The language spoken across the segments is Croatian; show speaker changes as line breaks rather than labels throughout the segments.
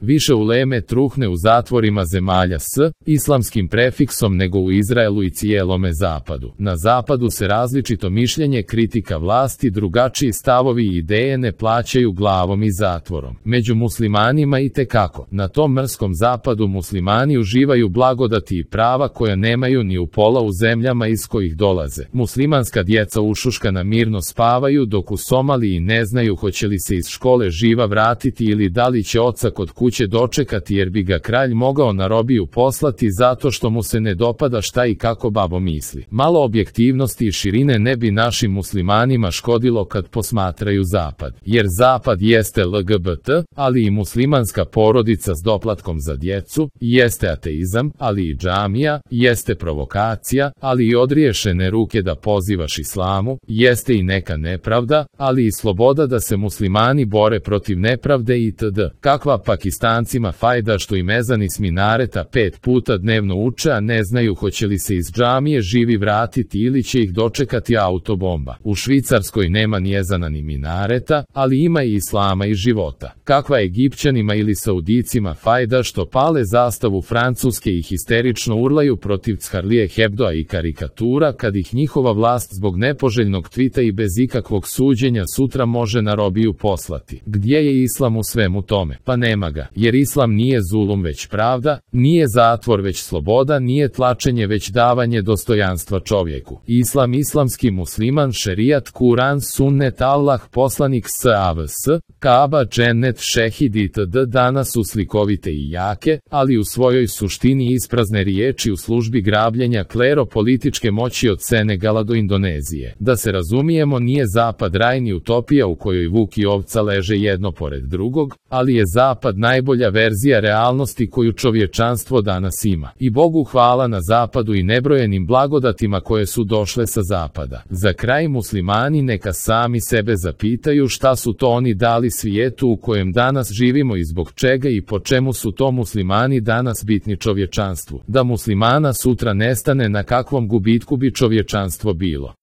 Više uleme truhne u zatvorima zemalja s islamskim prefiksom nego u Izraelu i cijelome zapadu. Na zapadu se različito mišljenje, kritika vlasti, drugačiji stavovi i ideje ne plaćaju glavom i zatvorom. Među muslimanima itekako. Na tom mrskom zapadu muslimani uživaju blagodati i prava koja nemaju ni u pola u zemljama iz kojih dolaze. Muslimanska djeca ušuškana mirno spavaju, dok u Somaliji ne znaju hoće li se iz škole živa vratiti ili da li će oca kod kuće dočekati jer bi ga kralj mogao na robiju poslati zato što mu se ne dopada šta i kako babo misli. Malo objektivnosti i širine ne bi našim muslimanima škodilo kad posmatraju zapad. Jer zapad jeste LGBT, ali i muslimanska porodica s doplatkom za djecu, jeste ateizam, ali i džamija, jeste provokacija, ali i odriješene ruke da pozivaš islamu, jeste i neka nepravda, ali i sloboda da se muslimani bore protiv nepravde itd. Kakva Pakistancima fajda što im ezani s minareta 5 puta dnevno uče, a ne znaju hoće li se iz džamije živi vratiti ili će ih dočekati autobomba. U Švicarskoj nema ni ezana ni minareta, ali ima i islama i života. Kakva Egipćanima ili Saudicima fajda što pale zastavu Francuske i histerično urlaju protiv Charlie Hebdoa i karikatura kad ih njihova vlast zbog nepoželjnog tvita i bez ikakvog suđenja sutra može na robiju poslati. Gdje je islam u svemu tome? Pa nema ga, jer islam nije zulum već pravda, nije zatvor već sloboda, nije tlačenje već davanje dostojanstva čovjeku. Islam, islamski musliman, šerijat, Kuran, sunnet, Allah, poslanik SAVS, Kaaba, džennet, šehid itd. Danas su slikovite i jake, ali u svojoj suštini isprazne riječi u službi grabljenja klero-političke moći od Senegala do Indonezije. Da se razumijemo, nije zapad raj ni utopija u kojoj vuk i ovca leže jedno pored drugog, ali je zapad najbolja verzija realnosti koju čovječanstvo danas ima. I Bogu hvala na zapadu i nebrojenim blagodatima koje su došle sa zapada. Za kraj, muslimani neka sami sebe zapitaju šta su to oni dali svijetu u kojem danas živimo i zbog čega i po čemu su to muslimani danas bitni čovječanstvu. Da muslimana sutra nestane, na kakvom gubitku bi čovječanstvo bilo.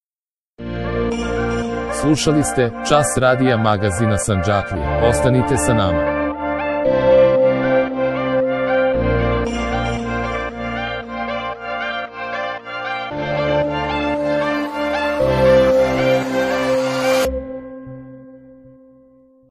Slušali ste Čas radija magazina Sandžaklije. Ostanite sa nama.